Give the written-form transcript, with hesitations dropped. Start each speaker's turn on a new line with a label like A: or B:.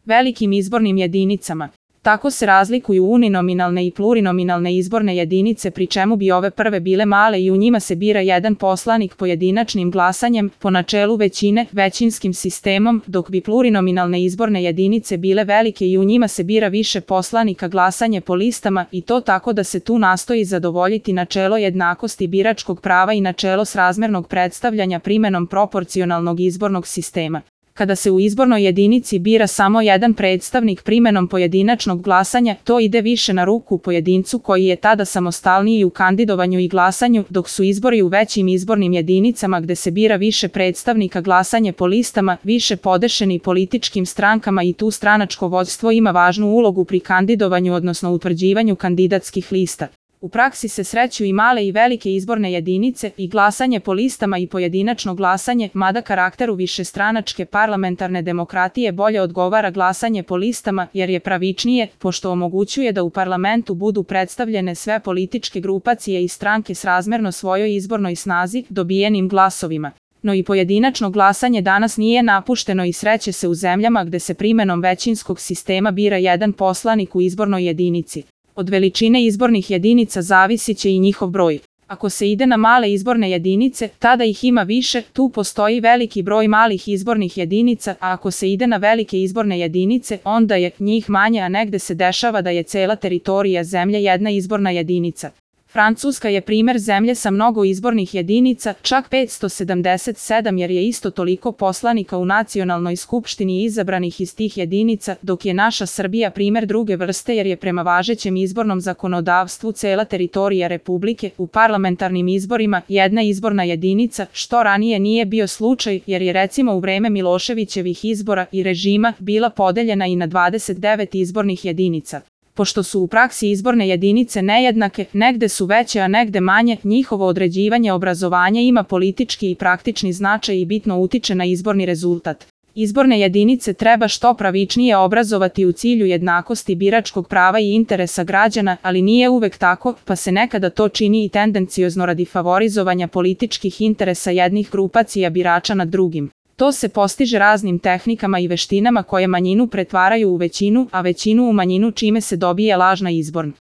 A: velikim izbornim jedinicama. Tako se razlikuju uninominalne i plurinominalne izborne jedinice, pri čemu bi ove prve bile male i u njima se bira jedan poslanik pojedinačnim glasanjem, po načelu većine, većinskim sistemom, dok bi plurinominalne izborne jedinice bile velike i u njima se bira više poslanika glasanje po listama, i to tako da se tu nastoji zadovoljiti načelo jednakosti biračkog prava i načelo srazmernog predstavljanja primenom proporcionalnog izbornog sistema. Kada se u izbornoj jedinici bira samo jedan predstavnik primenom pojedinačnog glasanja, to ide više na ruku pojedincu koji je tada samostalniji u kandidovanju i glasanju, dok su izbori u većim izbornim jedinicama gde se bira više predstavnika glasanje po listama, više podešeni političkim strankama i tu stranačko vođstvo ima važnu ulogu pri kandidovanju odnosno utvrđivanju kandidatskih lista. U praksi se sreću i male i velike izborne jedinice i glasanje po listama i pojedinačno glasanje, mada karakteru višestranačke parlamentarne demokratije bolje odgovara glasanje po listama jer je pravičnije, pošto omogućuje da u parlamentu budu predstavljene sve političke grupacije i stranke srazmerno svojoj izbornoj snazi, dobijenim glasovima. No i pojedinačno glasanje danas nije napušteno i sreće se u zemljama gde se primenom većinskog sistema bira jedan poslanik u izbornoj jedinici. Od veličine izbornih jedinica zavisit će i njihov broj. Ako se ide na male izborne jedinice, tada ih ima više, tu postoji veliki broj malih izbornih jedinica, a ako se ide na velike izborne jedinice, onda je njih manje, a negde se dešava da je cela teritorija zemlje jedna izborna jedinica. Francuska je primer zemlje sa mnogo izbornih jedinica, čak 577, jer je isto toliko poslanika u nacionalnoj skupštini izabranih iz tih jedinica, dok je naša Srbija primer druge vrste jer je prema važećem izbornom zakonodavstvu cela teritorija Republike u parlamentarnim izborima jedna izborna jedinica, što ranije nije bio slučaj jer je recimo u vreme Miloševićevih izbora i režima bila podeljena i na 29 izbornih jedinica. Pošto su u praksi izborne jedinice nejednake, negde su veće a negde manje, njihovo određivanje obrazovanja ima politički i praktični značaj i bitno utiče na izborni rezultat. Izborne jedinice treba što pravičnije obrazovati u cilju jednakosti biračkog prava i interesa građana, ali nije uvek tako, pa se nekada to čini i tendenciozno radi favorizovanja političkih interesa jednih grupacija birača nad drugim. To se postiže raznim tehnikama i veštinama koje manjinu pretvaraju u većinu, a većinu u manjinu čime se dobije lažna izborna